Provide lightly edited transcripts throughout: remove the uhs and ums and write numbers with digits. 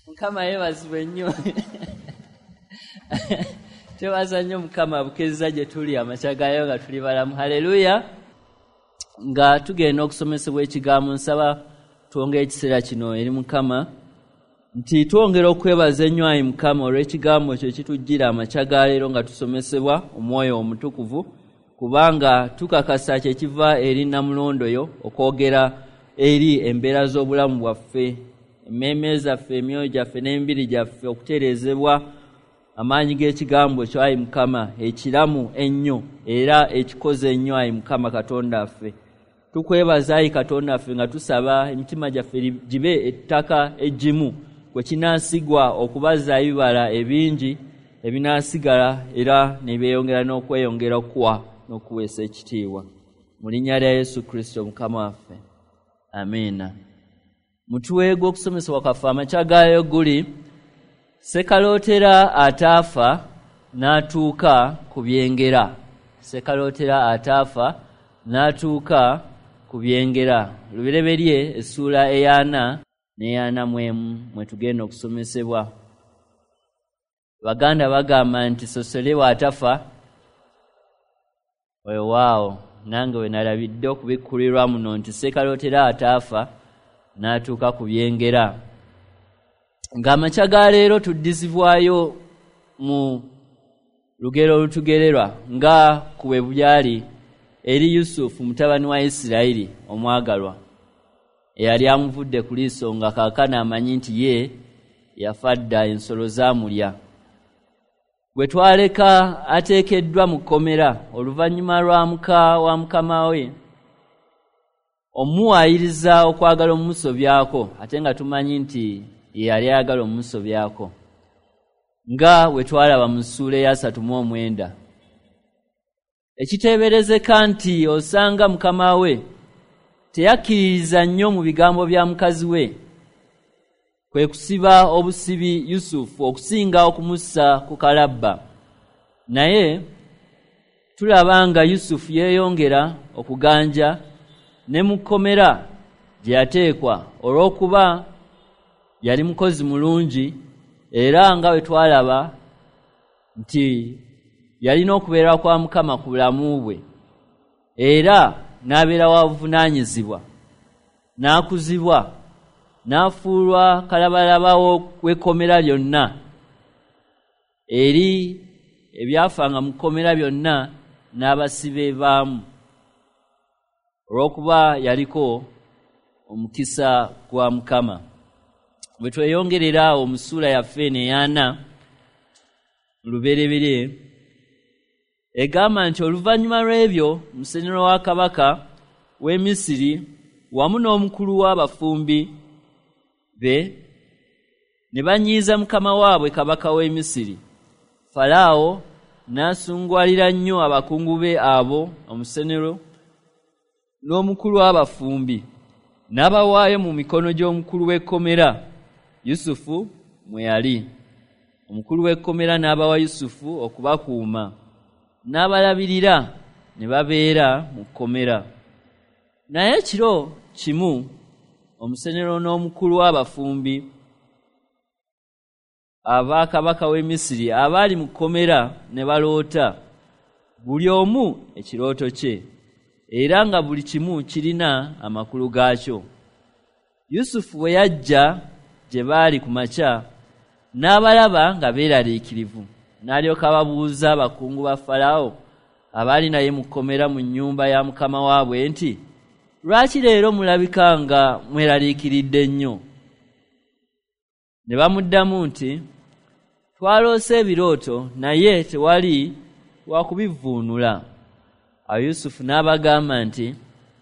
Mukama yeebazibwe nnyo. Twebaza nnyo Mukama bukezza gye tuli amakya gaayo nga tuli balamu. Haleluya. Nga tugenda okusomesebwa ekigambo, nsaba twongere ekiseera kino eri Mukama nti twongera okwebaza ennyo ayi Mukama olw'ekigambo kyo ekitujjira amakya ga leero nga tusomesebwa Omwoyo Omutukuvu, kubanga tukakasa kye kiva eri nnamulondo yo okwogera eri embeera z'obulamu bwaffe, emmeeme zaffe, emyoyo gyaffe n'emibiri gyaffe okutereezebwa amaanyi g'ekigambo kyo ayi Mukama ekiramu ennyo era ekikoze ennyo ayi Mukama Katonda waffe. Tukwebaza ayi Katonda waffe nga tusaba emitima gyaffe gibe ettaka eggimu kwe kinaasigwa okubaza ebibala ebingi ebinaasigala era ne byeyongera n'okweyongera okuwa n'okuweesa ekitiibwa. Mu linnya lya Yesu Kristo Mukama waffe, amiina. Mutwe gw'okusomesebwa kwaffe amakya gaayo guli Ssekalootera ataafa n'atuuka ku byengera. Ssekalootera ataafa n'atuuka ku byengera. Lubereberye essuula ey'ana n'ey'ana mu emu mwe tugenda okusomesebwa. Baganda bagamba nti sosole bw'atafa weewaawo, nange we nalabidde okubikkulirwa muno nti Ssekalootera ataafa n'atuuka ku byengera. Ng'amakya ga leero tuddizibwayo mu lugero olutugererwa nga ku bwe byali eri Yusufu mutabani wa Isirayiri omwagalwa eyali amuvudde ku liiso nga kaakano amanyi nti ye yafa dda, ensolo zaamulya. Bwe twaleka ateekeddwa mu kkomera oluvannyuma lwa muka wa mukama we omuwaayiriza okwagala omumusobyako, ate nga tumanyi nti ye yali ayagala omumusobyako, nga bwe twalaba mu ssuula ey'asatu mu omwenda. Ekiteeberezeka nti osanga mukama we teyakkiririza nnyo mu bigambo bya mukazi we, kwe kusiba obusibi Yusufu okusinga okumussa ku kalabba. Naye tulaba nga Yusufu yeeyongera okuganja ne mu kkomera gye yateekwa olw'okuba yali mukozi mulungi, era nga bwe twalaba nti yalina okubeera kwa Mukama ku bulamu bwe, era n'abeera wa buvunaanyizibwa, n'akuzibwa, n'afuulwa kalabalaba w'ekkomera lyonna eri ebyafanga mu kkomera byonna n'abasibe baamu, olw'okuba yaliko omukisa gwa Mukama. Bwe tweyongerera awo mu ssuula yaffe eno ey'ana Lubereberye, egamba nti oluvannyuma lw'ebyo musenero wa kabaka w'e Misiri wamu n'omukulu w'abafumbi be ne banyiiza mukama waabwe kabaka w'e Misiri. Falaawo n'asungwalira nnyo abakungu be abo, omusenero n'omukulu w'abafumbi, n'abawaayo mu mikono gy'omukulu w'ekkomera Yusufu mwe yali. Omukulu w'ekkomera n'abawa Yusufu okubakuuma, n'abalabirira ne babeera mu kkomera. Naye ekiro kimu omusenero n'omukulu w'abafumbi aba kabaka w'e Misiri abaali mu kkomera ne baloota, buli omu ekirooto kye, era nga buli kimu kirina amakulu gaakyo. Yusufu bwe yajja gye baali ku makya, n'abalaba nga beeraliikirivu, n'alyoka ababuuza abakungu ba Falaawo abaali naye mu kkomera mu nnyumba ya mukama waabwe nti, lwaki leero mulabika nga mweraliikiridde nnyo? Ne bamuddamu nti, twaloose ebirooto naye tewali wa kubivvuunula. Awo Yusufu n'abagamba nti,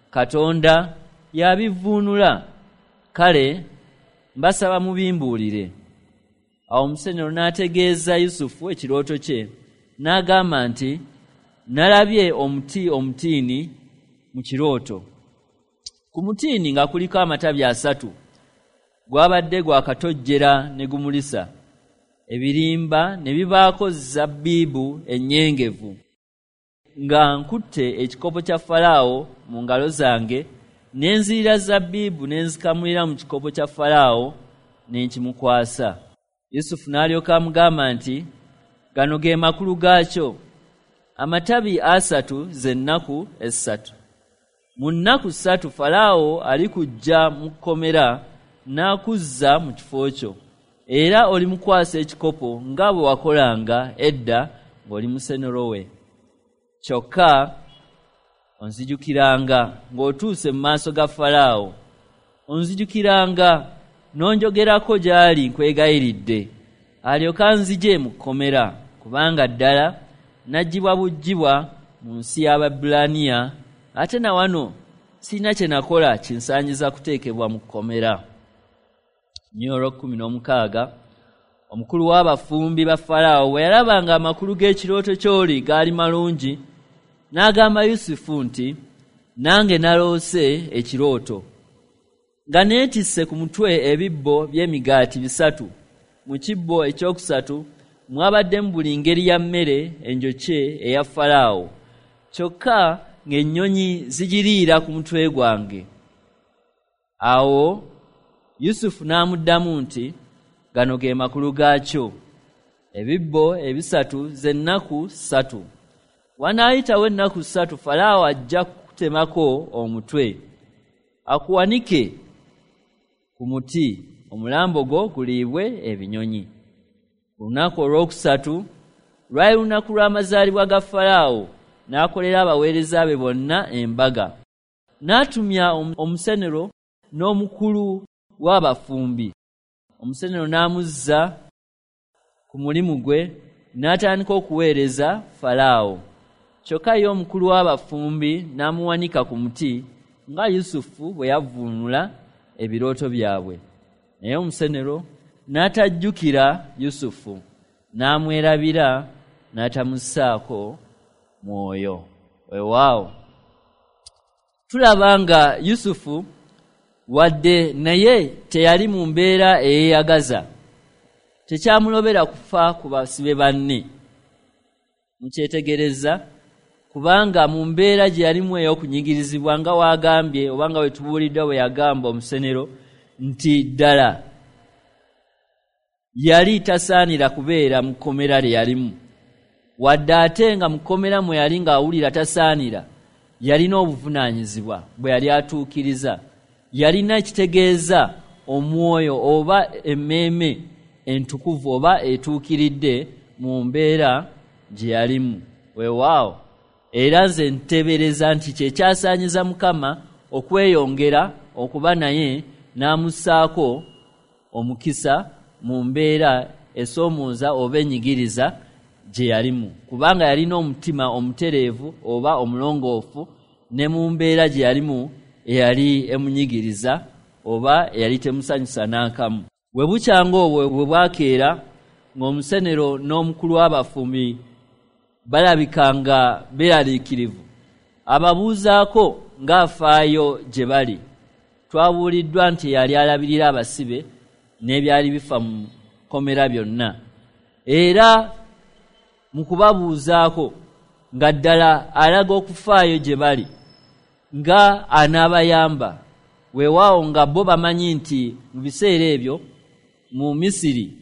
Katonda y'abivvuunula, kale mbasaba mubimbuulire. Awo omusenero n'ategeeza Yusufu ekirooto kye, n'agamba nti, nalabye omuti omutiini mu kirooto. Ku mutiini nga kuliko amatabi 3, gwabadde gwakatojjera ne gumulisa, ebirimba ne bibaako zabbibu ennyengevu. Nga nkutte ekikopo kya Falaawo mu ngalo zange, ne nzirira zabbibu ne nzikamulira mu kikopo kya Falaawo, ne nkimukwasa. Yusufu n'alyoka amugamba nti, gano ge makulu gaakyo. Amatabi 3 ze nnaku 3. Mu nnaku 3 Falaawo alikujja mu kkomera n'akuzza mu kifo kyo, era olimukwasa ekikopo nga bwe wakolanga edda ng'oli musenero we. Kyokka onzijukiranga ng'otuuse mu maaso ga Falaawo, onzijukiranga n'onjogerako gy'ali nkwegayiridde, alyoke anzigye mu kkomera, kubanga ddala naggyibwa buggyibwa mu nsi y'Abaebbulaniya, ate na wano sirina kye nakola kinsaanyiza kuteekebwa mu kkomera. Nnyolo 16. Omukulu w'abafumbi ba Falaawo bwe yalabanga amakulu g'ekirooto ky'oli gaali malungi, n'agamba Yusufu nti, nange naloose ekirooto, nga neetisse ku mutwe ebibbo by'emigaati 3. Mu kibbo ekyokusatu mwabaddemu buli ngeri ya mmere enjokye eya Falaawo, kyokka ng'ennyonyi zigiriira ku mutwe gwange. Awo Yusufu n'amuddamu nti, gano ge makulu gaakyo. Ebibbo 3 ze nnaku 3. Wanaayitawo ennaku 3 Falaawo ajja kukutemako omutwe, akuwanike ku muti, omulambo gwo guliibwe ebinyonyi. Ku lunaku olwokusatu lwali lunaku lw'amazaalibwa ga Falaawo, n'akolera abaweereza be bonna embaga. N'atumya omusenero n'omukulu w'abafumbi. Omusenero n'amuzza ku mulimu gwe, n'atandika okuweereza Falaawo. Kyokka ye omukulu w'abafumbi n'amuwanika ku muti, nga Yusufu bwe yavvuunula ebirooto byabwe. Naye omusenero n'atajjukira Yusufu, n'amwerabira, n'atamussaako mwoyo. Weewaawo tulaba nga Yusufu wadde naye teyali mu mbeera eyeeyagaza, tekyamulobera kufa ku basibe banne. Mukyetegereza, kubanga mu mbeera gye yalimu ey'okunyigirizibwa, nga waagambye oba nga bwe tubuuliddwa bwe yagamba omusenero nti ddala yali tasaanira kubeera mu kkomera lye yalimu. Wadde ate nga mu kkomera mwe yali ng'awulira tasaanira, yalina obuvunaanyizibwa bwe yali atuukiriza. Yalina ekitegeeza omwoyo oba emmeeme entukuvu oba etuukiridde mu mbeera gye yalimu. Weewaawo era nze nteebereza nti kye kyasaanyiza Mukama okweyongera okuba naye n'amussaako omukisa mu mbeera esoomooza oba enyigiriza gye yalimu, kubanga yalina omutima omutereevu oba omulongoofu ne mu mbeera gye yalimu eyali emunyigiriza oba eyali temusanyusa n'akamu. Bwe bukyanga obwo bwe bwakeera, ng'omusenero n'omukulu w'abafumbi balabika nga beeraliikirivu, ababuuzaako ng'afaayo gye bali. Twabuuliddwa nti yali alabirira abasibe n'ebyali bifa mu kkomera byonna. Era mu kubabuuzaako nga ddala alaga okufaayo gye bali, nga anaabayamba. Weewaawo nga bo bamanyi nti mu biseera ebyo mu Misiri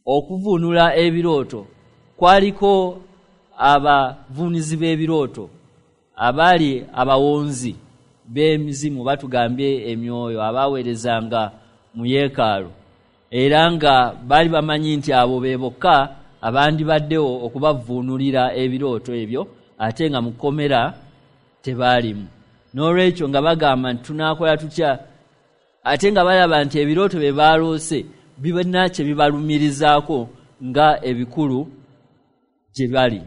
okuvuunula ebirooto kwaliko abavuunizi b'ebirooto abaali abawonzi b'emizimu, batugambye emyoyo, abaaweerezanga mu yeekaalu, era nga baali bamanyi nti abo be bokka abandibaddewo okubavuunulira ebirooto ebyo, ate nga mu kkomera tebaalimu. N'olwekyo nga bagamba nti tunaakola tutya, ate nga balaba nti ebirooto bye baaloose bibina kye bibalumirizaako nga ebikulu gye bali.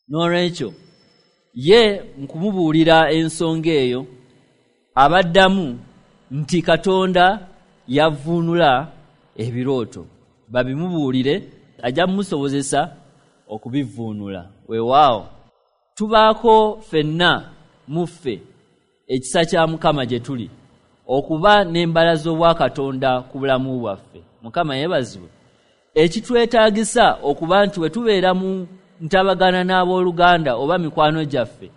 N'olwekyo ye mu kumubuulira ensonga eyo abaddamu nti Katonda yavuunula ebirooto, babimubuulire ajja mumusobozesa okubivuunula. Weewaawo tubaako ffenna mu ffe ekisa kya Mukama gye tuli okuba n'embala z'obwakatonda ku bulamu bwaffe. Mukama yeebazibwe. Ekitwetaagisa okuba nti bwe tubeera mu ntabagana n'abooluganda oba mikwano gyaffe,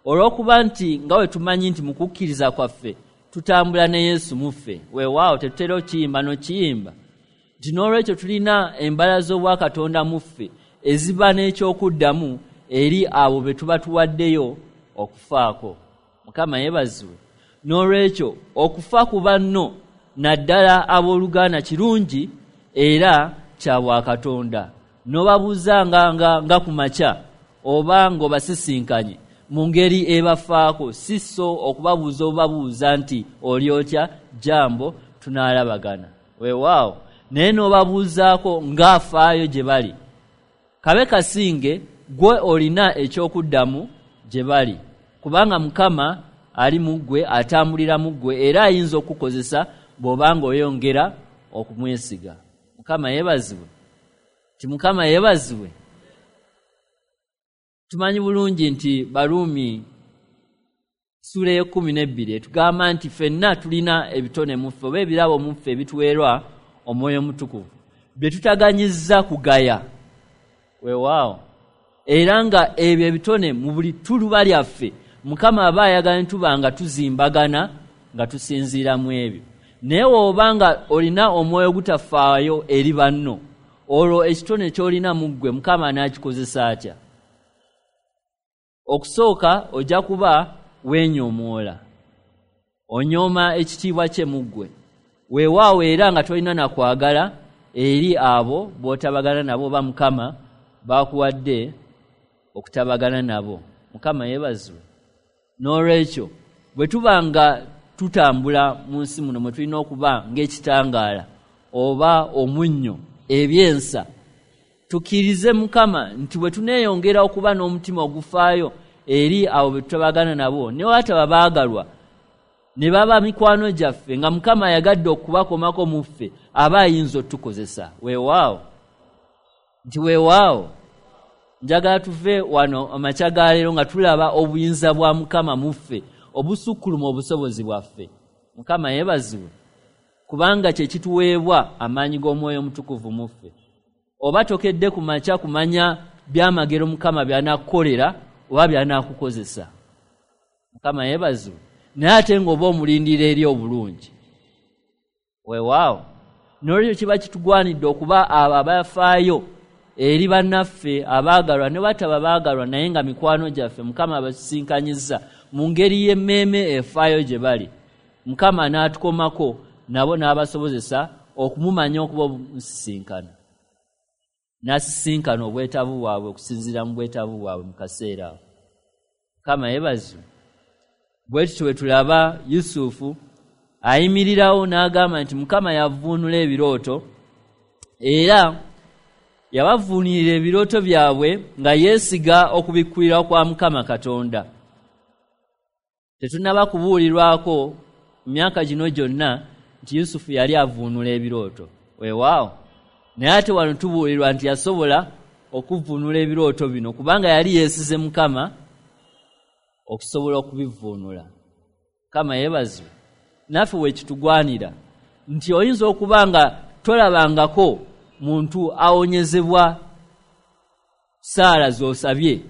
olw'okuba nti nga bwe tumanyi nti mu kukkiriza kwaffe tutambula ne Yesu muffe. Weewaawo tetutera okiyimba n'okiyimba nti n'olwekyo tulina embala z'obwakatonda muffe eziba n'ekyokuddamu eri abo be tuba tuwaddeyo okufaako. Mukama yeebazibwe. N'olwekyo okufa ku banno naddala abooluganda kirungi era kya bwakatonda. N'obabuuza nga ku makya oba ng'obasisinkanye mu ngeri ebafaako, si so okubabuuza obabuuza nti oli otya, jambo, tunaalabagana. Weewaawo naye n'obabuuzaako ng'afaayo gye bali. Kabe kasinge gwe olina ekyokuddamu gye bali, kubanga Mukama ali mu ggwe, atambulira mu ggwe, era ayinza okukozesa bw'obanga oyongera okumwesiga. Mukama yeebazibwe. Ti Mukama yeebazibwe. Tumanyi bulungi nti Baruumi ssuula ey'e12 etugamba nti ffenna tulina ebitone mu ffe oba ebirabo mu ffe ebituweerwa Omwoyo Omutukuvu bye tutaganyizza kugaya. Weewaawo era nga ebyo ebitone mu buli ttuluba lyaffe Mukama aba ayagala ne tuba nga tuzimbagana nga tusinziira mu ebyo. Naye bw'oba nga olina omwoyo ogutafaayo eri banno, olwo ekitone ky'olina mu ggwe Mukama anaakikozesa atya? Okusooka ojja kuba weenyoomoola, onyooma ekitiibwa kye mu ggwe. Weewaawo era nga tolina na kwagala eri abo b'otabagana nabo oba Mukama baakuwadde okutabagana nabo. Mukama yeebazibwe. N'olwekyo bwe tuba nga tutambula mu nsi muno mwe tulina okuba ng'ekitangaala oba omunnyo ebyensa, tukkirize Mukama nti bwe tuneeyongera okuba n'omutima ogufaayo eri abo be tutabagana nabo, ne wataba baagalwa ne baba mikwano gyaffe, nga Mukama ayagadde okubakomako mu ffe, aba ayinza otukozesa. Weewaawo nti weewaawo njagala tuve wano amakya ga leero nga tulaba obuyinza bwa Mukama mu ffe obusukkuluma obusobozi bwaffe. Mukama yeebazibwe, kubanga kye kituweebwa amaanyi g'Omwoyo Omutukuvu mu ffe. Oba tokedde ku makya kumanya byamagero Mukama by'anaakukolera oba by'anaakukozesa. Mukama yeebazibwe. Naye ate ng'oba omulindira eri obulungi. Weewaawo n'olwekyo kiba kitugwanidde okuba abo abafaayo eri bannaffe abaagalwa ne bataba baagalwa, naye nga mikwano gyaffe Mukama abasisinkanyizza mu ngeri y'emmeeme efaayo gye bali. Mukama n'atukomako nabo n'abasobozesa okumumanya okuba omusisinkana, n'asisinkana obwetaavu bwabwe okusinziira mu bwetaavu bwabwe mu kaseera ako. Mukama yeebazibwe. Bwe tutyo bwe tulaba Yusufu ayimirirawo n'agamba nti Mukama yavuunula ebirooto, era yabavuunirira ebirooto byabwe nga yeesiga okubikkulirwa kwa Mukama Katonda. Tetunnaba kubuulirwako mu myaka gino gyonna nti Yusufu yali avuunula ebirooto. Weewaawo naye ate wano tubuulirwa nti yasobola okuvuunula ebirooto bino kubanga yali yeesize Mukama okusobola okubivuunula. Mukama yeebazibwe. Naffe we kitugwanira nti oyinza okuba nga tolabangako muntu awonyezebwa ssaala z'osabye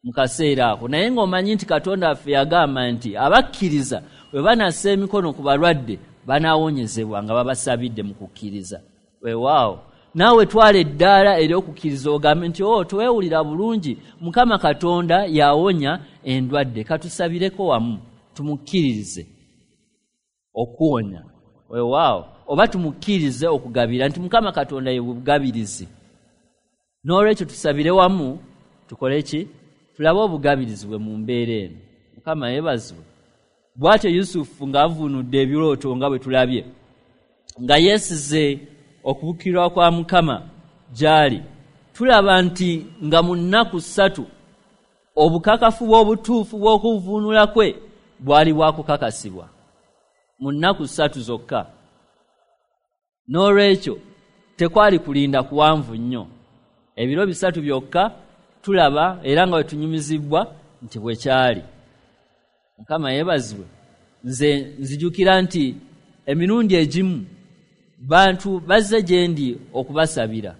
mu kaseera ako, naye ng'omanyi nti Katonda waffe yagamba nti abakkiriza bwe banassa emikono ku balwadde banaawonyezebwa nga babasabidde mu kukkiriza. Weewaawo naawe twala eddaala ery'okukkiriza ogambe nti o toweewulira bulungi, Mukama Katonda yawonya endwadde, katusabireko wamu tumukkiririze okuwonya. Weewaawo oba tumukkirize okugabira nti Mukama Katonda ye bugabirizi. N'olwekyo tusabire wamu tukole ki? Tulabe obugabirizi bwe mu mbeera eno. Mukama yeebazibwe. Bw'atyo Yusufu ng'avuunudde ebirooto nga bwe tulabye, nga yeesize okubukirwa kwa Mukama gy'ali, tulaba nti nga mu nnaku 3 obukakafu bw'obutuufu bw'okuvuunula kwe bwali bwakukakasibwa mu nnaku 3 zokka. N'olwekyo tekwali kulinda kuwanvu nnyo, ebiro 3 byokka tulaba era nga bwe tunyumizibwa nti bwe kyali. Mukama yeebazibwe. Nze nzijukira nti emirundi egimu bantu bazze gye ndi okubasabira,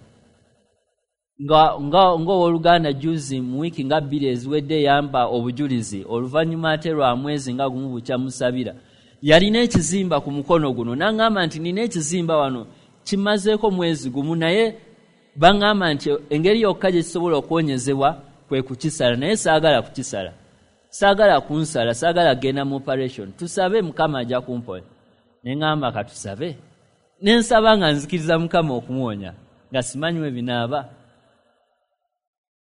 ng'owooluganda juzi mu wiiki nga 2 eziwedde yampa obujulizi oluvannyuma ate lwa mwezi nga gumu bukya musabira. Yalina ekizimba ku mukono guno, n'aŋŋamba nti nina ekizimba wano kimazeeko mwezi gumu, naye baŋŋamba nti engeri yokka gye kisobola okuwonyezebwa kwe kukisala, naye saagala kukisala, saagala kunsala, saagala kugenda mu operation, tusabe Mukama ajja kumponya. Ne ŋŋamba katusabe, ne nsaba nga nzikiriza Mukama okumuwonya nga simanyi we binaaba.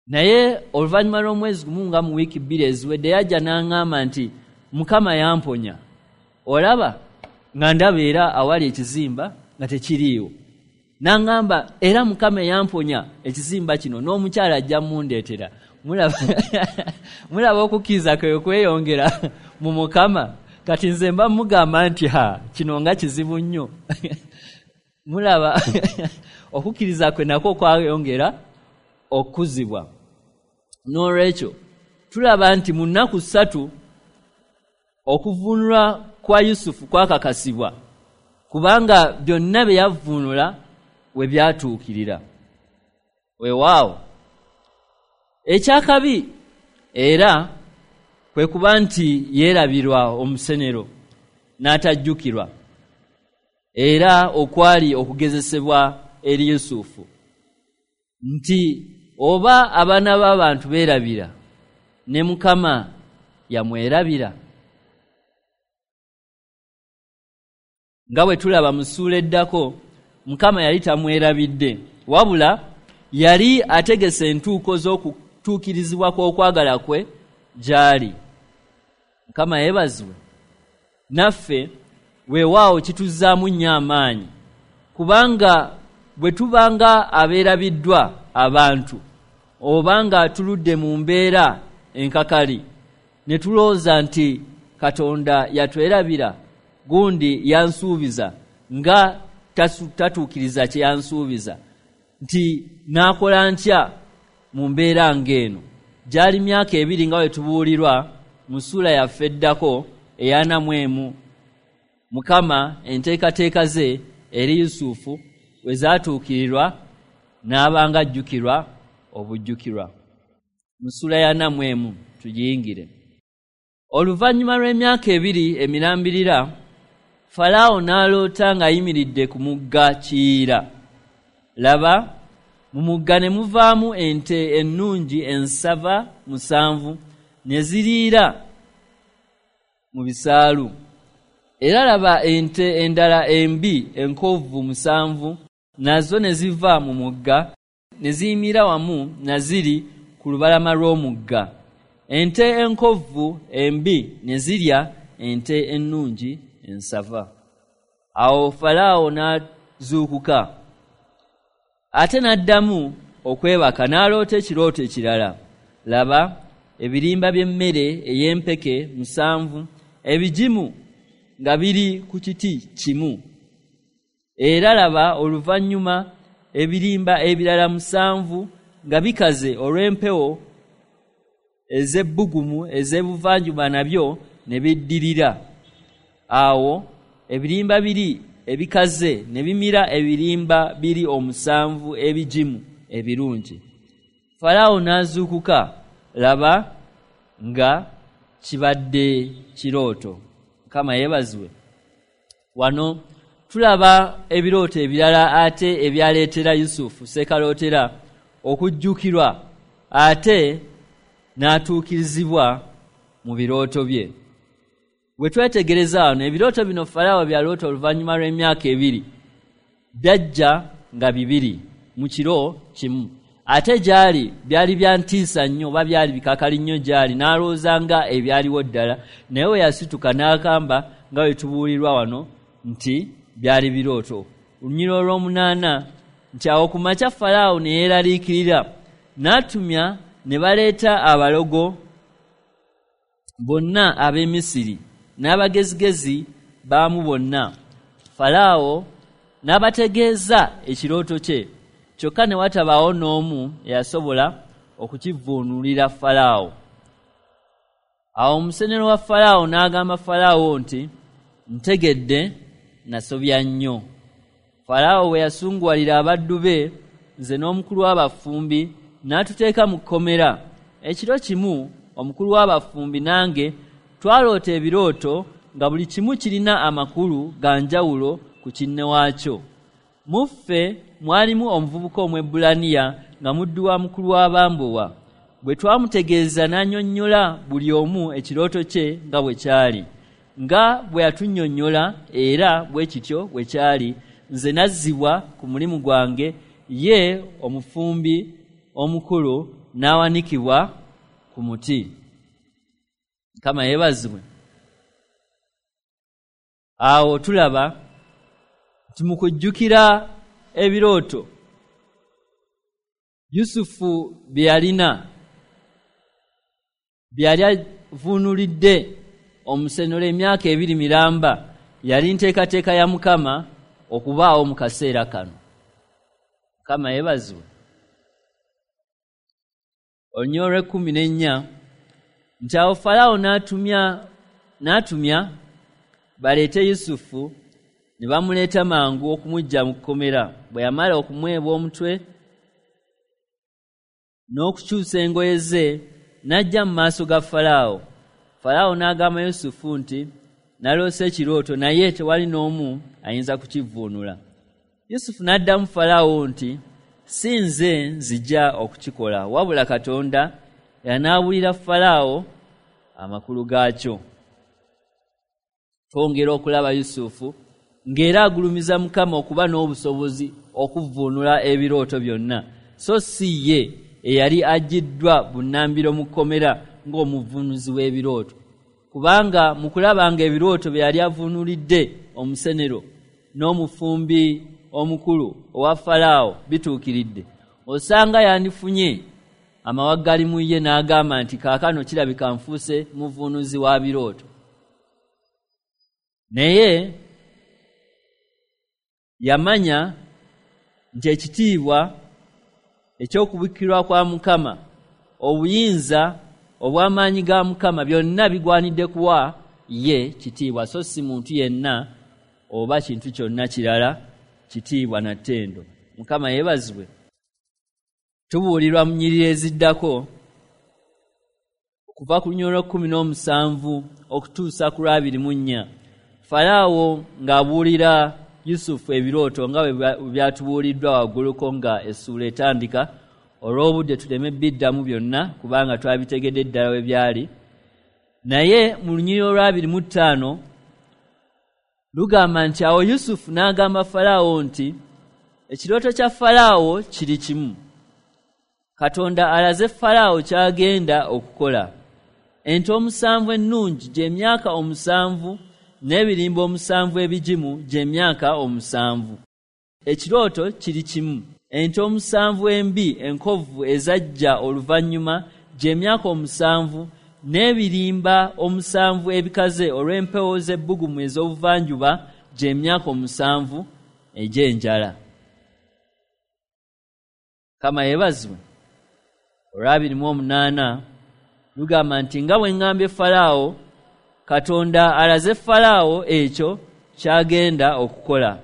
Naye oluvannyuma lw'omwezi gumu nga mu wiiki 2 eziwedde yajja n'aŋŋamba nti Mukama yamponya. Olaba nga ndaba era awali ekizimba nga tekiriiwo. N'aŋŋamba era Mukama yamponya ekizimba kino n'omukyala ajja mundeetera. Mulaba okukkiriza kwe kweyongera mu Mukama. Kati nze mba mugamba nti ha, kino nga kizibu nnyo. Mulaba okukkiriza kwe nakwo kwayongera okuzibwa. N'olwekyo tulaba nti mu nnaku 3 okuvvuunulwa kwa Yusufu kwakakasibwa, kubanga byonna bye yavvuunula we byatuukirira. Weewaawo ekyakabi era kwe kuba nti yeerabirwa omusenero n'atajjukirwa, era okwali okugezesebwa eri Yusufu nti oba abaana b'abantu beerabira, ne Mukama yamwerabira. Nga bwe tulaba mu ssuula eddako, Mukama yali tamwerabidde, wabula yali ategese entuuko z'okutuukirizibwa kw'okwagala kwe gy'ali. Mukama yeebazibwe. Naffe weewaawo kituzzaamu nnyo amaanyi, kubanga bwe tubanga abeerabiddwa abantu oba nga tuludde mu mbeera enkakali ne tulowooza nti Katonda yatwerabira, gundi yansuubiza nga tatuukiriza kye yansuubiza, nti naakola ntya mu mbeera ng'eno. Gyali myaka 2 nga bwe tubuulirwa mu ssuula yaffe eddako eya 41, Mukama enteekateeka ze eri Yusufu we zaatuukirirwa n'abanga ajjukirwa obujjukirwa. Mu ssuula ya 41 tugiyingire. Oluvannyuma lw'emyaka 2 emirambirira, Falaawo n'aloota ng'ayimiridde ku mugga Kiyira. Laba, mu mugga ne muvaamu ente ennungi ensava 7 ne ziriira mu bisaalu. Era laba ente endala embi enkovvu 7 nazo ne ziva mu mugga ne ziyimira wamu na ziri ku lubalama lw'omugga. Ente enkovvu embi ne zirya ente ennungi ensava. Awo Falaawo n'azuukuka, ate n'addamu okwebaka n'aloota ekirooto ekirala. Laba, ebirimba by'emmere ey'empeke 7 ebigimu nga biri ku kiti kimu. Era laba oluvannyuma ebirimba ebirala 7 nga bikaze olw'empewo ez'ebbugumu ez'ebuvanjuba nabyo ne biddirira. Awo ebirimba biri ebikaze ne bimira ebirimba biri 7 ebigimu ebirungi. Falaawo n'azuukuka, laba nga kibadde kirooto. Mukama yeebazibwe. Wano tulaba ebirooto ebirala ate ebyaleetera Yusufu ssekalootera okujjukirwa ate n'atuukirizibwa mu birooto bye. Bwe twetegereza wano, ebirooto bino Falaawo byaloota oluvannyuma lw'emyaka 2 byajja nga 2 mu kiro kimu. Ate gyali byali bya ntiisa nnyo oba byali bikakali nnyo gyali, n'alowooza nga ebyaliwo ddala, naye we yasituka n'agamba nga bwe tubuulirwa wano nti byali birooto. Olunyiriri olw'omunaana nti awo ku makya Falaawo ne yeeraliikirira, n'atumya ne baleeta abalogo bonna ab'e Misiri n'abagezigezi baamu bonna. Falaawo n'abategeeza ekirooto kye, kyokka ne watabaawo n'omu eyasobola okukivvuunulira Falaawo. Awo omusenero wa Falaawo n'agamba Falaawo nti, ntegedde nasobya nnyo. Falaawo bwe yasunguwalira abaddu be, nze n'omukulu w'abafumbi n'atuteeka mu kkomera. Ekiro kimu omukulu w'abafumbi nange twaloota ebirooto nga buli kimu kirina amakulu ga njawulo ku kinne waakyo. Mu ffe mwalimu omuvubuka Omwebbulaniya nga muddu wa mukulu w'abambowa. Bwe twamutegeeza n'annyonnyola buli omu ekirooto kye nga bwe kyali. Nga bwe yatunnyonnyola era bwe kityo bwe kyali, nze nazzibwa ku mulimu gwange, ye omufumbi omukulu n'awanikibwa ku muti. Mukama yeebazibwe. Awo tulaba nti mu kujjukira ebirooto Yusufu bye yalina, bye yali avuunulidde omusenero emyaka 2 miramba, yali nteekateeka ya Mukama okubaawo mu kaseera kano. Mukama yeebazibwe. Olunyiriri olw'ekkumi n'ennya nti awo Falaawo n'atumya baleete Yusufu, ne bamuleeta mangu okumuggya mu kkomera. Bwe yamala okumwebwa omutwe n'okukyusa engoye ze, n'ajja mu maaso ga Falaawo. Falaawo n'agamba Yusufu nti, naloose ekirooto, naye tewali n'omu ayinza kukivvuunula. Yusufu n'addamu Falaawo nti, si nze nzija okukikola, wabula Katonda yanaabulira Falaawo amakulu gaakyo. Twongera okulaba Yusufu ng'era agulumiza Mukama okuba n'obusobozi okuvvuunula ebirooto byonna, so si ye eyali aggiddwa bunnambiro mu kkomera ng'omuvuunuzi w'ebirooto. Kubanga mu kulaba ng'ebirooto bye yali avuunulidde omusenero n'omufumbi omukulu owa Falaawo bituukiridde, osanga yandifunye amawaggali mu ye n'agamba nti kaakano kirabika nfuuse muvuunuzi wa birooto. Naye yamanya nti ekitiibwa eky'okubikkirwa kwa Mukama, obuyinza obw'amaanyi ga Mukama byonna bigwanidde kuwa ye kitiibwa, so si muntu yenna oba kintu kyonna kirala kitiibwa na ttendo. Mukama yeebazibwe. Tubuulirwa mu nnyiriri eziddako okuva ku lunyiriri olw'ekkumi n'omusanvu okutuusa ku lw'abiri mu nnya, Falaawo ng'abuulira Yusufu ebirooto nga bwe byatubuuliddwa wagguluko nga essuula etandika. Olw'obudde tuleme biddamu byonna kubanga twabitegedde ddala we byali. Naye mu lunyiriri olw'abiri mu ttaano lugamba nti awo Yusufu n'agamba Falaawo nti ekirooto kya Falaawo kiri kimu. Katonda alaze Falaawo ky'agenda okukola. Ente 7 ennungi gy'emyaka 7 n'ebirimba 7 ebigimu gy'emyaka 7. Ekirooto kiri kimu. Ente 7 embi enkovu ezajja oluvannyuma gy'emyaka 7 n'ebirimba 7 ebikaze olw'empewo z'ebbugumu ez'obuvanjuba gy'emyaka 7 egy'enjala. Kama yeebazibwe. Olw'abiri mu omunaana lugamba nti nga bwe ŋŋambye Falaawo, Katonda alaze Falaawo ekyo ky'agenda okukola.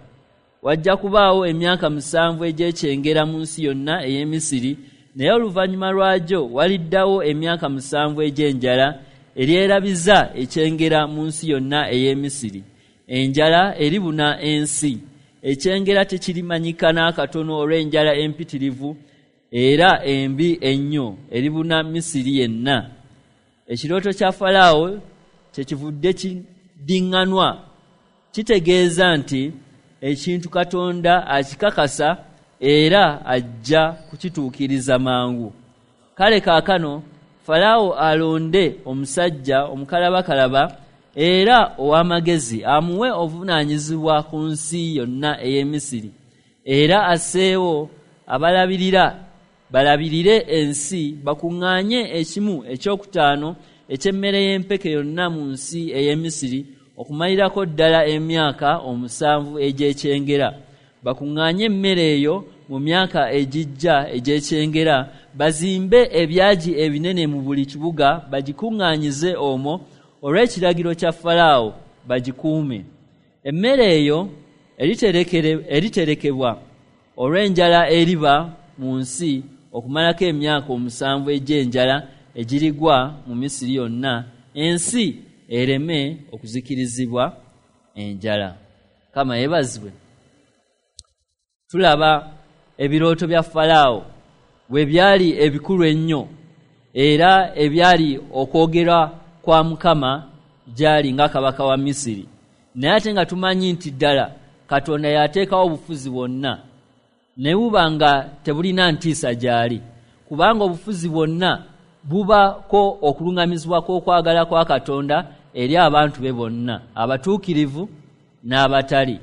Wajja kubaawo emyaka 7 egy'ekyengera mu nsi yonna ey'e Misiri, naye oluvannyuma lwagyo waliddawo emyaka 7 egy'enjala eryerabiza ekyengera mu nsi yonna ey'e Misiri. Enjala eribuna ensi. Ekyengera tekirimanyika n'akatono olw'enjala empitirivu era embi ennyo eribuna Misiri yenna. Ekirooto kya Falaawo kyekivudde kiddiŋŋanwa, kitegeeza nti ekintu Katonda akikakasa era ajja kukituukiriza mangu. Kale kaakano Falaawo alonde omusajja omukalabakalaba era ow'amagezi amuwe obuvunaanyizibwa ku nsi yonna ey'e Misiri, era asseewo abalabirira balabirire ensi, bakuŋŋaanye ekimu ekyokutaano eky'emmere y'empeke yonna mu nsi ey'e Misiri okumalirako ddala emyaka 7 egy'ekyengera. Bakuŋŋaanye emmere eyo mu myaka egijja egy'ekyengera, bazimbe ebyagi ebinene mu buli kibuga, bagikuŋŋaanyize omwo olw'ekiragiro kya Falaawo, bagikuume. Emmere eyo eriterekebwa olw'enjala eriba mu nsi okumalako emyaka 7 egy'enjala egirigwa mu Misiri yonna, ensi ereme okuzikirizibwa enjala. Mukama yeebazibwe. Tulaba ebirooto bya Falaawo bwe byali ebikulu ennyo era ebyali okwogera kwa Mukama gyali nga kabaka wa Misiri, naye ate nga tumanyi nti ddala Katonda yateekawo obufuzi bwonna ne buba nga tebulina ntiisa gyali, kubanga obufuzi bwonna bubako okuluŋŋamizibwa kw'okwagala kwa Katonda eri abantu be bonna, abatuukirivu n'abatali.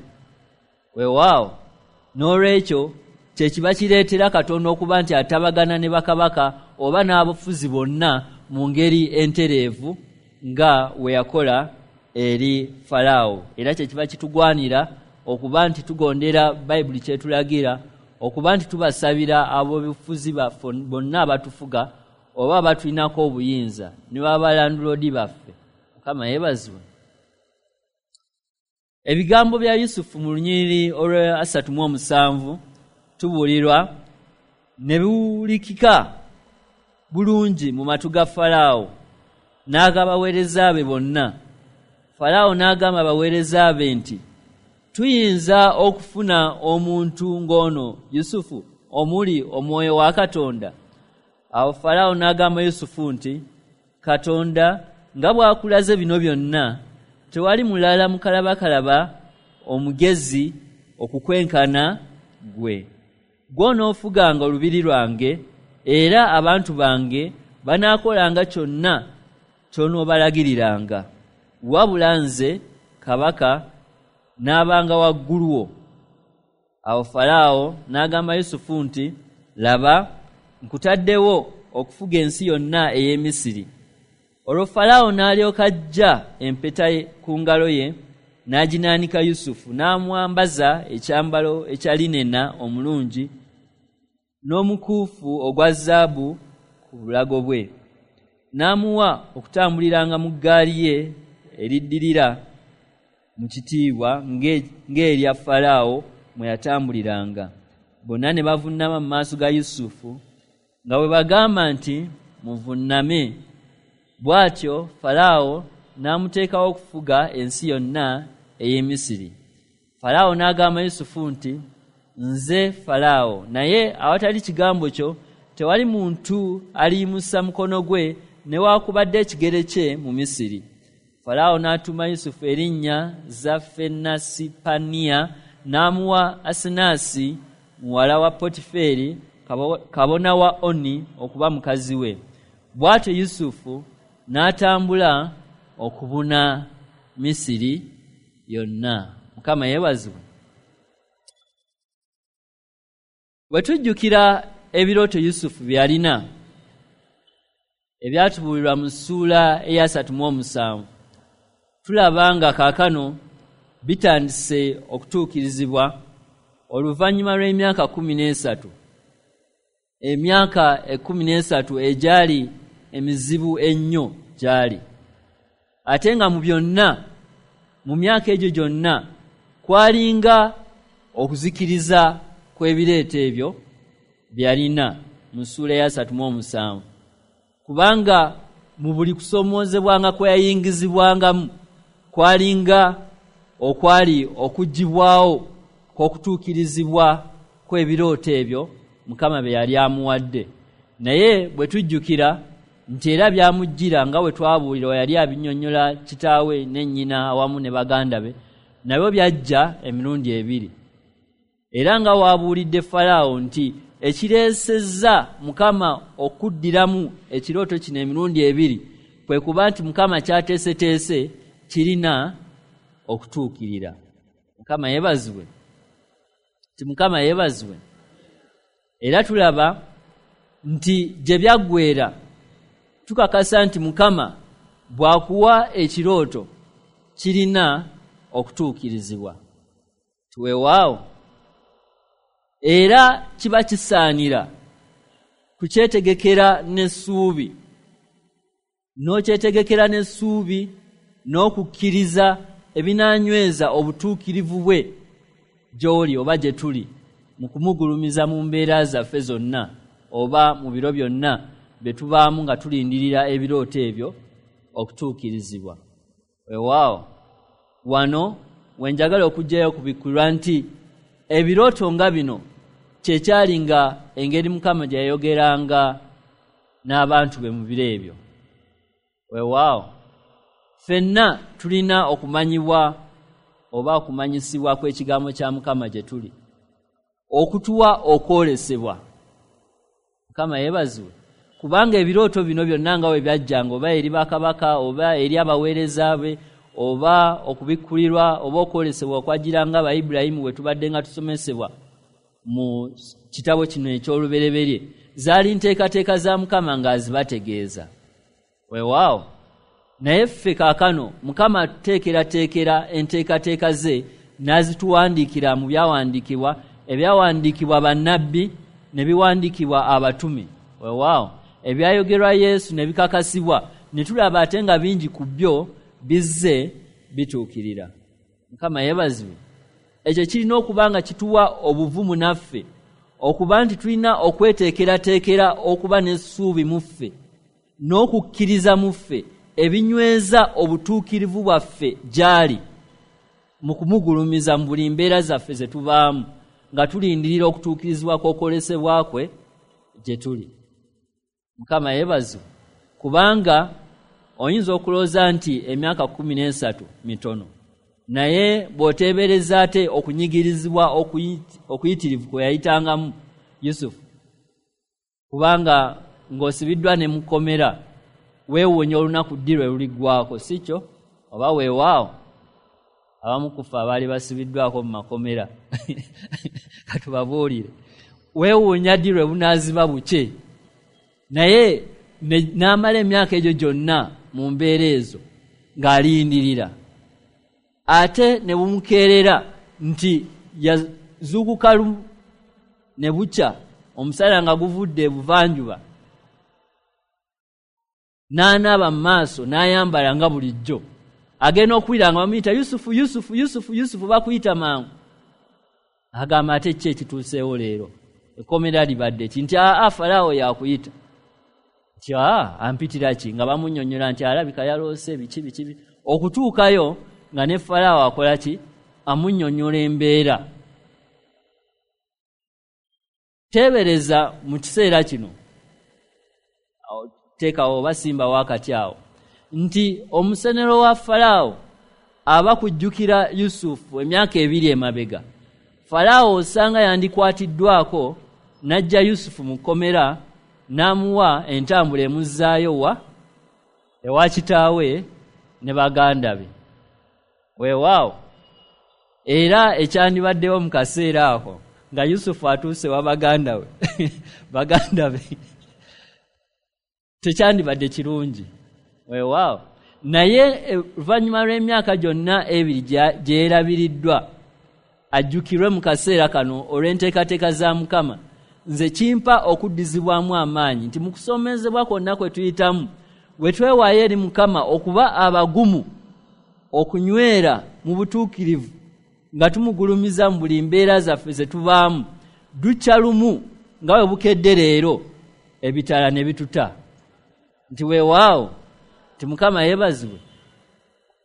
Weewaawo, n'olwekyo kye kiba kireetera Katonda okuba nti atabagana ne bakabaka oba n'abafuzi bonna mu ngeri entereevu nga we yakola eri Falaawo. Era kye kiba kitugwanira okuba nti tugondera Bayibuli kyetulagira, okuba nti tubasabira ab'obufuzi baffe bonna abatufuga oba abatulinako obuyinza ne babalanduloodi baffe. Mukama yeebazibwe. Ebigambo bya Yusufu mu lunyiriri olwa 37 tubuulirwa ne biwulikika bulungi mu matu ga Falaawo n'agabaweereza be bonna. Falaawo n'agamba abaweereza be nti, tuyinza okufuna omuntu ng'ono Yusufu omuli omwoyo wa Katonda? Awo Falaawo n'agamba Yusufu nti, Katonda nga bw'akulaze bino byonna, tewali mulala mukalabakalaba omugezi okukwenkana ggwe. Ggw'onoofuganga olubiri lwange, era abantu bange banaakolanga kyonna ky'onoobalagiriranga. Wabula nze kabaka n'abanga waggulu wo. Awo Falaawo n'agamba Yusufu nti, laba, nkutaddewo okufuga ensi yonna ey'e Misiri. Olwo Falaawo n'alyoka aggya empeta ku ngalo ye n'aginaanika Yusufu, n'amwambaza ekyambalo ekya linena omulungi n'omukuufu ogwa zaabu ku bulago bwe. N'amuwa okutambuliranga mu ggaali ye eriddirira mu kitiibwa ng'erya Falaawo mwe yatambuliranga. Bonna ne bavunnama mu maaso ga Yusufu nga bwe bagamba nti, muvunname. Bw'atyo Falaawo n'amuteekawo okufuga ensi yonna ey'e Misiri. Falaawo n'agamba Yusufu nti, nze Falaawo, naye awatali kigambo kyo tewali muntu aliyimusa mukono gwe newaakubadde ekigere kye mu Misiri. Falaawo n'atuuma Yusufu erinnya Zafenasipaniya, n'amuwa Asenaasi muwala wa Potiferi kabona wa Oni okuba mukazi we. Bw'atyo Yusufu n'atambula okubuna Misiri yonna. Mukama yeebazibwe. Bwe tujjukira ebirooto Yusufu bye yalina ebyatubuulirwa mu ssuula eya 37, tulaba nga kaakano bitandise okutuukirizibwa oluvannyuma lw'emyaka 13. Emyaka 13 egyali emizibu ennyo gyali. Ate nga mu byonna, mu myaka egyo gyonna, kwalinga okuzikiriza kw'ebireeto ebyo byalina mu ssuula eya 37. Kubanga mu buli kusoomoozebwanga kwe yayingizibwangamu kwalinga okwali okuggyibwawo kw'okutuukirizibwa kw'ebirooto ebyo Mukama bye yali amuwadde. Naye bwe tujjukira nti era byamujjira nga bwe twabuulirwa yali abinnyonnyola kitaawe ne nnyina awamu ne baganda be, nabyo byajja emirundi ebiri. Era nga waabuulidde Falaawo nti ekireesezza Mukama okuddiramu ekirooto kino emirundi ebiri kwe kuba nti Mukama ky'ateeseteese kirina okutuukirira. Mukama yeebazibwe. Nti Mukama yeebazibwe. Era tulaba nti gye byaggweera tukakasa nti Mukama bw'akuwa ekirooto kirina okutuukirizibwa. Weewaawo, era kiba kisaanira kukyetegekera n'essuubi, n'okyetegekera n'essuubi n'okukkiriza ebinaanyweza obutuukirivu bwe gy'oli oba gye tuli mu kumugulumiza mu mbeera zaffe zonna oba mu biro byonna bye tubaamu nga tulindirira ebirooto ebyo okutuukirizibwa. Weewaawo, wano wenjagala okuggyayo okubikkulwa nti ebirooto nga bino kyekyali nga engeri Mukama gye yayogeranga n'abantu be mu biro ebyo. Weewaawo, ffenna tulina okumanyibwa oba okumanyisibwa kw'ekigambo kya Mukama gye tuli, okutuwa okwolesebwa. Mukama yeebazibwe, kubanga ebirooto bino byonna nga bwe byajjanga oba eri bakabaka oba eri abaweereza be oba okubikkulirwa oba okwolesebwa okwajjiranga aba Ibulayimu bwe tubadde nga tusomesebwa mu kitabo kino eky'olubereberye, zaali nteekateeka za Mukama ng'azibategeeza. Weewaawo, naye ffe kaakano Mukama atuteekerateekera enteekateeka ze n'azituwandiikira mu byawandiikibwa, ebyawandiikibwa bannabbi ne biwandiikibwa abatume. Weewaawo, ebyayogerwa Yesu ne bikakasibwa, ne tulaba ate nga bingi ku byo bizze bituukirira. Mukama yeebazibwe. Ekyo kirina okuba nga kituwa obuvumu naffe okuba nti tulina okweteekerateekera okuba n'essuubi mu ffe n'okukkiriza mu ffe ebinyweza obutuukirivu bwaffe gy'ali mu kumugulumiza mu buli mbeera zaffe ze tubaamu nga tulindirira okutuukirizibwa kw'okwolesebwa kwe gye tuli. Mukama yeebazibwe, kubanga oyinza okulowooza nti emyaka 13 mitono, naye bw'oteebereza ate okunyigirizibwa okuyitirivu kwe yayitangamu Yusufu, kubanga ng'osibiddwa ne mukomera, weewuunya olunaku ddi lwe luliggwaako, si kyo? Oba weewaawo abamu ku ffe abaali basibiddwako mu makomera katubabuulire, weewuunya ddi lwe bunaaziba bukye, naye n'amala emyaka egyo gyonna mu mbeera ezo ng'alindirira, ate ne bumukeerera nti yazuukuka ne bukya omusana nga guvudde ebuvanjuba, n'anaaba mu maaso n'ayambala nga bulijjo, agenda okuwulira nga bamuyita Yusufu, Yusufu, Yusufu, Yusufu, bakuyita mangu. Agamba ate ki ekituuseewo leero? Ekkomera libadde ki? Nti aa, Falaawo yakuyita. Nti aa, ampitira ki? Nga bamunnyonnyola nti alabika yaloose biki biki. Okutuukayo nga ne Falaawo akola ki? Amunnyonnyola embeera. Teebereza mu kiseera kino, teekawo oba simbawo akati awo, nti omusenero wa Falaawo aba kujjukira Yusufu emyaka 2 emabega. Falaawo osanga yandikwatiddwako n'ajja Yusufu mu kkomera n'amuwa entambula emuzzaayo wa ewa kitaawe ne baganda be. Weewaawo, era ekyandibaddewo mu kaseera ako nga Yusufu atuuse wa baganda be baganda be tekyandibadde kirungi. Weewaawo, naye oluvannyuma lw'emyaka gyonna 2 gye yeerabiriddwa ajjukirwe mu kaseera kano olw'enteekateeka za Mukama, nze kimpa okuddizibwamu amaanyi nti mu kusomezebwa kwonna kwe tuyitamu bwe twewaayo eri Mukama okuba abagumu okunywera mu butuukirivu nga tumugulumiza mu buli mbeera zaffe ze tubaamu, dukya lumu nga bwe bukedde leero ebitala ne bituta. Nti weewaawo, nti Mukama yeebazibwe.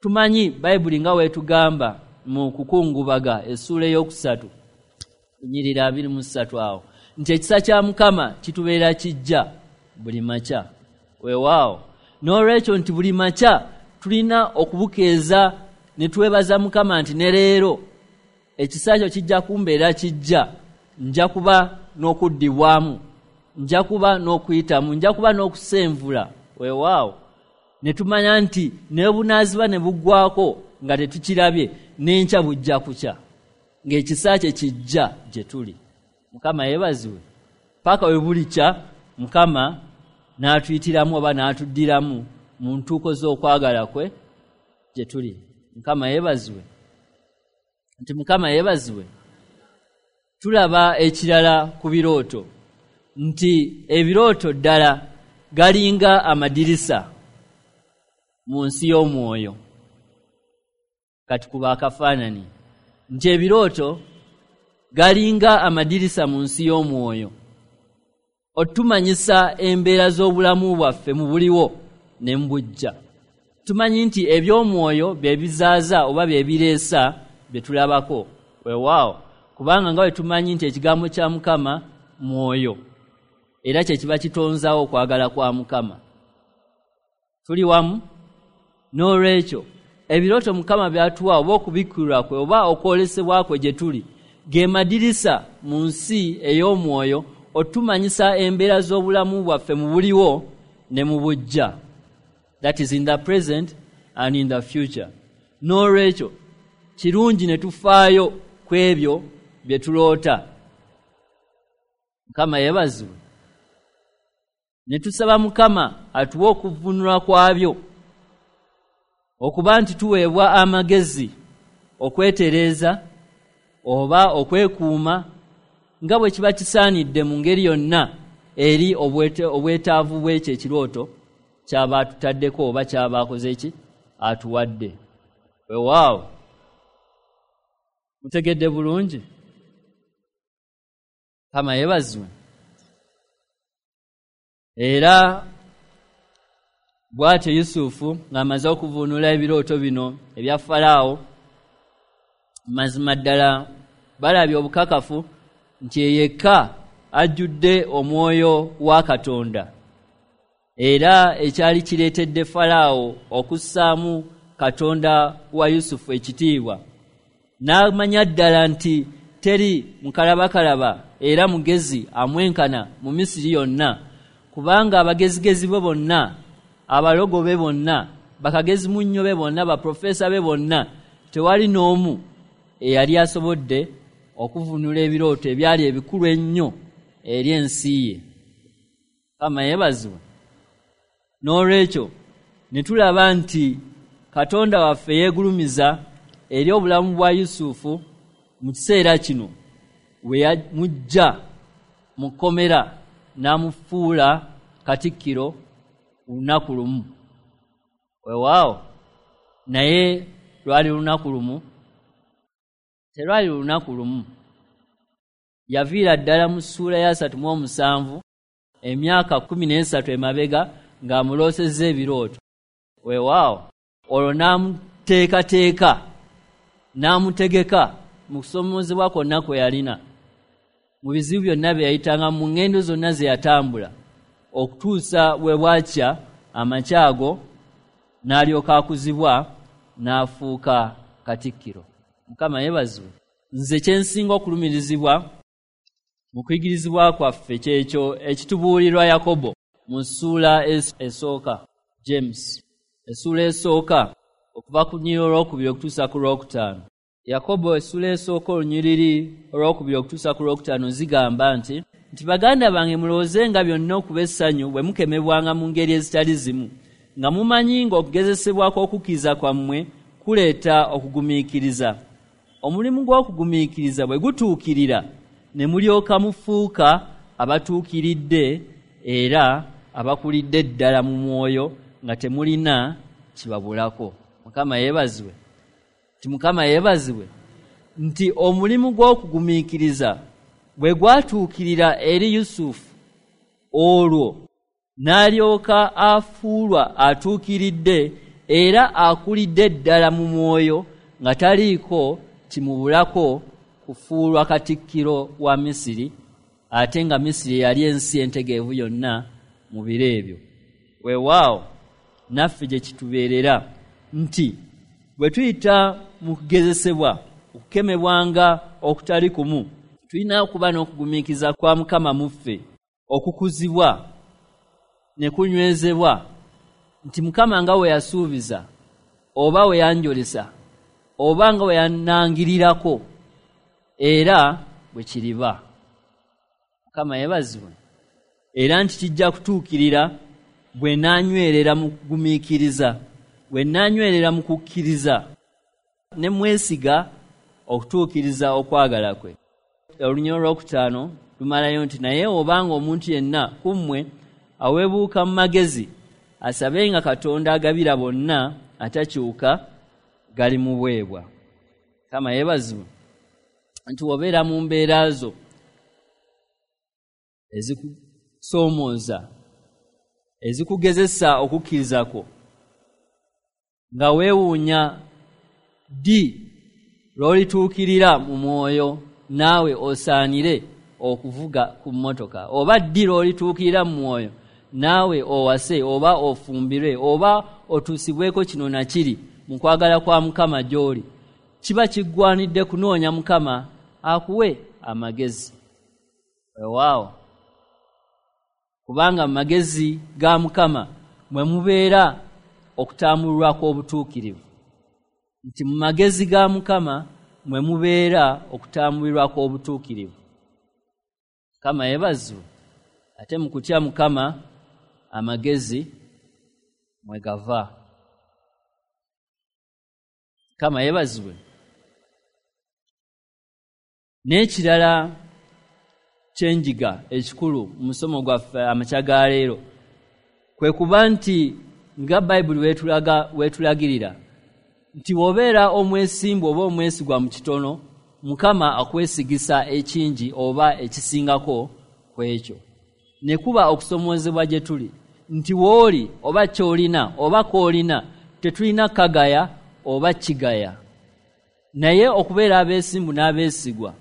Tumanyi Bayibuli nga weetugamba mu kukungubaga essuula 3 nyirira 23 awo nti ekisa kya Mukama kitubeera kijja buli makya. Weewaawo, n'olwekyo nti buli makya tulina okubukeeza ne twebaza Mukama nti ne leero ekisa kyo kijja kumbeera kijja, nja kuba n'okuddibwamu, nja kuba n'okuyitamu, nja kuba n'okusenvula. Weewaawo, ne tumanya nti ne bunaaziba ne buggwako nga tetukirabye, n'enkya bujja kukya ng'ekisa kye kijja gye tuli. Mukama yeebazibwe. Paka we bulikya Mukama n'atuyitiramu oba n'atuddiramu mu ntuuko z'okwagala kwe gye tuli. Mukama yeebazibwe. Nti Mukama yeebazibwe. Tulaba ekirala ku birooto nti ebirooto ddala galinga amadirisa mu nsi y'omwoyo. Kati kuba akafaananyi nti ebirooto galinga amadirisa mu nsi y'omwoyo, otumanyisa embeera z'obulamu bwaffe mu buliwo ne mu bujja. Tumanyi nti eby'omwoyo bye bizaaza oba bye bireesa bye tulabako. Weewaawo, kubanga nga bwe tumanyi nti ekigambo kya Mukama mwoyo, era kye kiba kitonzaawo okwagala kwa Mukama. Tuli wamu? N'olwekyo ebirooto Mukama by'atuwa oba okubikkulirwa kwe oba okwolesebwa kwe gye tuli ge madirisa mu nsi ey'omwoyo otumanyisa embeera z'obulamu bwaffe mu buliwo ne mu bujja. That is in the present and in the future. N'olwekyo kirungi ne tufaayo ku ebyo bye tuloota. Mukama yeebazibwe. Ne tusaba Mukama atuwe okuvvuunulwa kwabyo, okuba nti tuweebwa amagezi okwetereeza oba okwekuuma nga bwe kiba kisaanidde mu ngeri yonna eri obwetaavu bw'ekyo ekirooto ky'aba atutaddeko oba ky'aba akoze ki atuwadde. Weewaawo, mutegedde bulungi? Mukama yeebazibwe. Era bw'atyo Yusufu ng'amaze okuvuunula ebirooto bino ebya Falaawo, mazima ddala balabye obukakafu nti yekka ajjudde omwoyo wa Katonda, era ekyali kireetedde Falaawo okussaamu Katonda wa Yusufu ekitiibwa, n'amanya ddala nti teri mukalabakalaba era mugezi amwenkana mu Misiri yonna, kubanga abagezigezi be bonna, abalogo be bonna, bakagezi munnyo be bonna, baprofesa be bonna, tewali n'omu eyali asobodde okuvunula ebirooto ebyali ebikulu ennyo eri ensi ye. Mukama yeebazibwe. N'olwekyo ne tulaba nti Katonda waffe yeegulumiza eri obulamu bwa Yusufu mu kiseera kino we yamujja mu kkomera n'amufuula katikkiro lunaku lumu. Weewaawo, naye lwali lunaku lumu? Terwali lunaku lumu. Yaviira ddala mu ssuula ya 37 emyaka 13 emabega ng'amuloosezza ebirooto. Weewaawo, olwo n'amuteekateeka n'amutegeka mu kusomoozebwa kwonna kwe yalina, mu bizibu byonna bye yayitanga, mu ŋŋendo zonna ze yatambula, okutuusa bwe bwakya amakya ago n'alyoka akuzibwa n'afuuka katikkiro. Mukama yeebazibwe. Nze kye nsinga okulumirizibwa mu kuyigirizibwa kwaffe kyekyo ekitubuulirwa Yakobo mu ssuula esooka, James essuula esooka okuva ku lunyiriri olwokubiri okutuusa ku lwokutaano. Yakobo essuula esooka olunyiriri olwokubiri okutuusa ku lwokutaano zigamba nti baganda bange, mulowoozenga byonna okuba essanyu bwe mukemebwanga mu ngeri ezitali zimu, nga mumanyi ng'okugezesebwa kw'okukkiriza kwammwe kuleeta okugumiikiriza. Omulimu gw'okugumiikiriza bwe gutuukirira ne mulyoka mufuuka abatuukiridde era abakulidde ddala mu mwoyo nga temulina kibabulako. Mukama yeebazibwe. Nti Mukama yeebazibwe nti omulimu gw'okugumiikiriza bwe gwatuukirira eri Yusufu, olwo n'alyoka afuulwa atuukiridde era akulidde ddala mu mwoyo nga taliiko kimubulako kufuulwa katikkiro wa Misiri, ate nga Misiri yali ensi entegeevu yonna mu biro ebyo. Weewaawo, naffe gye kitubeerera nti bwe tuyita mu kugezesebwa, okukemebwanga okutali kumu, tulina okuba n'okugumiikiriza kwa Mukama mu ffe, okukuzibwa ne kunywezebwa nti Mukama nga we yasuubiza oba we yanjolesa oba nga we yannangirirako, era bwe kiriba. Mukama yeebazibwe. Era nti kijja kutuukirira bwe nnaanywerera mu kugumiikiriza, bwe nnaanywerera mu kukkiriza ne mwesiga okutuukiriza okwagala kwe. Olunyiriri olwokutaano lumalayo nti naye obanga omuntu yenna ku mmwe aweebuuka mu magezi, asabenga Katonda agabira bonna atakyuka gali mu bwebwa. Mukama yeebazibwe. Nti obeera mu mbeera zo ezikusoomooza, ezikugezesa okukkiriza kwo, nga weewuunya ddi lw'olituukirira mu mwoyo naawe osaanire okuvuga ku mmotoka, oba ddi lw'olituukirira mu mwoyo naawe owase oba ofumbirwe oba otuusibweko kino na kiri mu kwagala kwa Mukama gy'oli, kiba kiggwanidde kunoonya Mukama akuwe amagezi. Weewaawo, kubanga mu magezi ga Mukama mwe mubeera okutambulwa kw'obutuukirivu, nti mu magezi ga Mukama mwe mubeera okutambulirwa kw'obutuukirivu. Mukama yeebazibwe. Ate mu kutya Mukama amagezi mwe gava. Mukama yeebazibwe. N'ekirala kyenjiga ekikulu mu musomo gwaffe amakya ga leero kwe kuba nti nga Bayibuli weetulagirira nti bw'obeera omwesimbu oba omwesigwa mu kitono, Mukama akwesigisa ekingi oba ekisingako ku ekyo. Ne kuba okusomoozebwa gye tuli nti w'oli oba ky'olina oba k'olina tetulina kagaya oba kigaya, naye okubeera abeesimbu n'abeesigwa.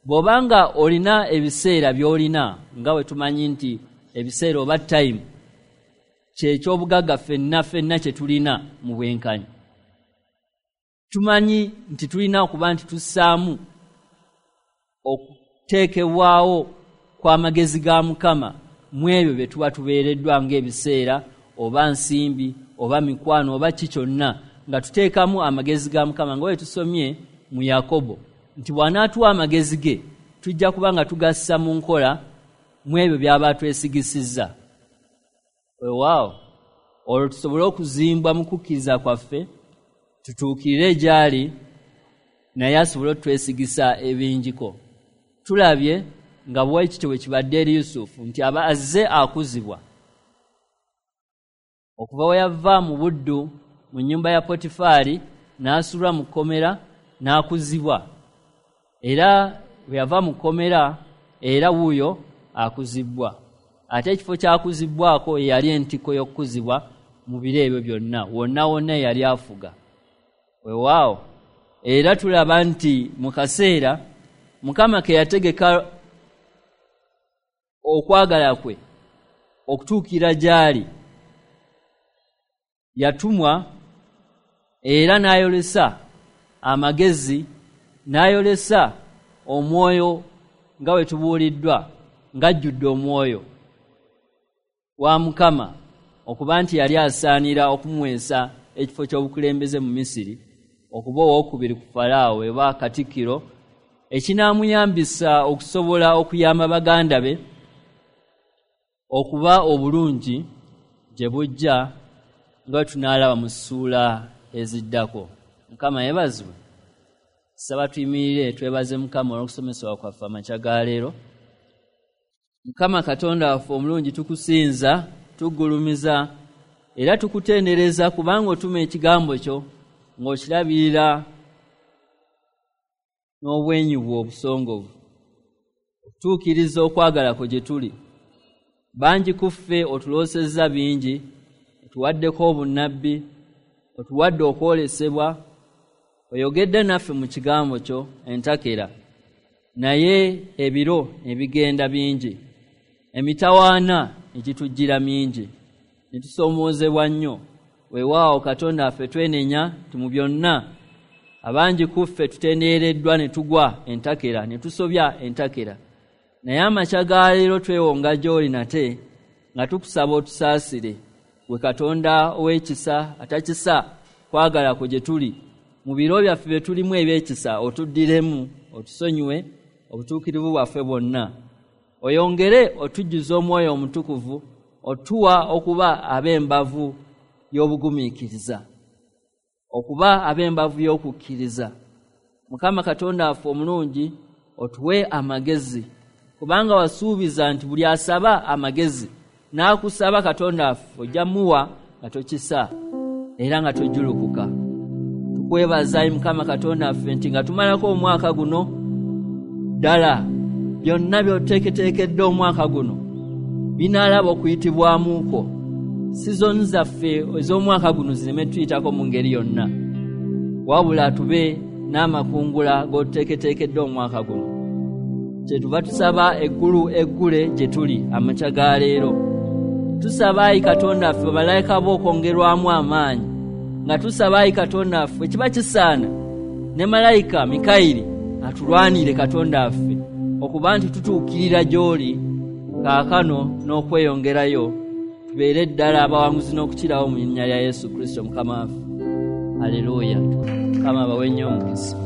Bw'obanga olina ebiseera by'olina, nga bwe tumanyi nti ebiseera oba time kyeky'obugagga ffenna ffenna kye tulina mu bwenkanyi, tumanyi nti tulina okuba nti tussaamu okuteekebwawo kw'amagezi ga Mukama mu ebyo bye tuba tubeereddwa ng'ebiseera oba nsimbi oba mikwano oba ki kyonna, nga tuteekamu amagezi ga Mukama nga bwe tusomye mu Yakobo nti bw'anaatuwa amagezi ge tujja kuba nga tugassa mu nkola mu ebyo by'aba twesigisizza. Weewaawo, olwo tusobole okuzimbwa mu kukkiriza kwaffe tutuukirire gy'ali, naye asobole otwesigisa ebingiko. Tulabye nga bwe kityo bwe kibadde eri Yusufu nti aba azze akuzibwa okuva we yava mu buddu mu nnyumba ya Potifaali n'asulwa mu kkomera n'akuzibwa, era bwe yava mu kkomera era wuuyo akuzibwa. Ate ekifo ky'akuzibbwako ye yali entikko y'okukuzibwa mu biro ebyo byonna, wonna wonna yali afuga. Weewaawo, era tulaba nti mu kaseera Mukama ke yategeka okwagala kwe okutuukira gy'ali, yatumwa era n'ayolesa amagezi, n'ayolesa omwoyo nga bwe tubuuliddwa ng'ajjudde omwoyo wa Mukama okuba nti yali asaanira okumuweesa ekifo ky'obukulembeze mu Misiri, okuba owookubiri ku Falaawo eba katikkiro, ekinaamuyambisa okusobola okuyamba baganda be okuba obulungi gye bujja nga tunaalaba mu ssuula eziddako. Mukama yeebazibwe. Saba tuyimirire twebaze Mukama olw'okusomesebwa kwaffe amakya ga leero. Mukama Katonda waffe omulungi, tukusinza, tuggulumiza era tukutendereza kubanga otuma ekigambo kyo ng'okirabirira n'obwenyi bwo obusongovu okutuukiriza okwagala kwo gye tuli. Bangi ku ffe otuloosezza bingi, otuwaddeko obunnabbi, otuwadde okwolesebwa, oyogedde naffe mu kigambo kyo entakera, naye ebiro ebigenda bingi, emitawaana egitujjira mingi, ne tusoomoozebwa nnyo. Weewaawo Katonda waffe, twenenya nti mu byonna abangi ku ffe tutendeereddwa ne tugwa entakera, ne tusobya entakera, naye amakya ga leero twewonga gy'oli nate nga tukusaba otusaasire, gwe Katonda ow'ekisa atakisa kwagala kwo gye tuli. Mu biro byaffe bye tulimu eby'ekisa otuddiremu, otusonyiwe obutuukirivu bwaffe bwonna, oyongere otujjuza omwoyo omutukuvu, otuwa okuba ab'embavu y'obugumiikiriza, okuba ab'embavu y'okukkiriza. Mukama Katonda waffe omulungi, otuwe amagezi, kubanga wasuubiza nti buli asaba amagezi n'akusaba Katonda waffe ojja muwa nga tokisa era nga tojjulukuka. Tukwebaza ayi Mukama Katonda waffe nti nga tumalako omwaka guno, ddala byonna by'oteeketeekedde omwaka guno binaalaba okuyitibwamu kwo. Sizoni zaffe ez'omwaka guno zireme tuyitako mu ngeri yonna, wabula tube n'amakungula g'otuteeketeekedde omwaka guno. Kyetuva tusaba eggulu eggule gye tuli amakya ga leero. Tusaba ayi Katonda ffe bamalayika bo okwongerwamu amaanyi, nga tusaba ayi Katonda ffe kiba kisaana ne malayika Mikayiri atulwanire Katonda ffe, okuba nti tutuukirira gy'oli kaakano n'okweyongerayo, tubeere ddala abawanguzi n'okukirawo mu linnya lya Yesu Kristo Mukama waffe. Aleluya. Mukama abawe nnyo omukisa.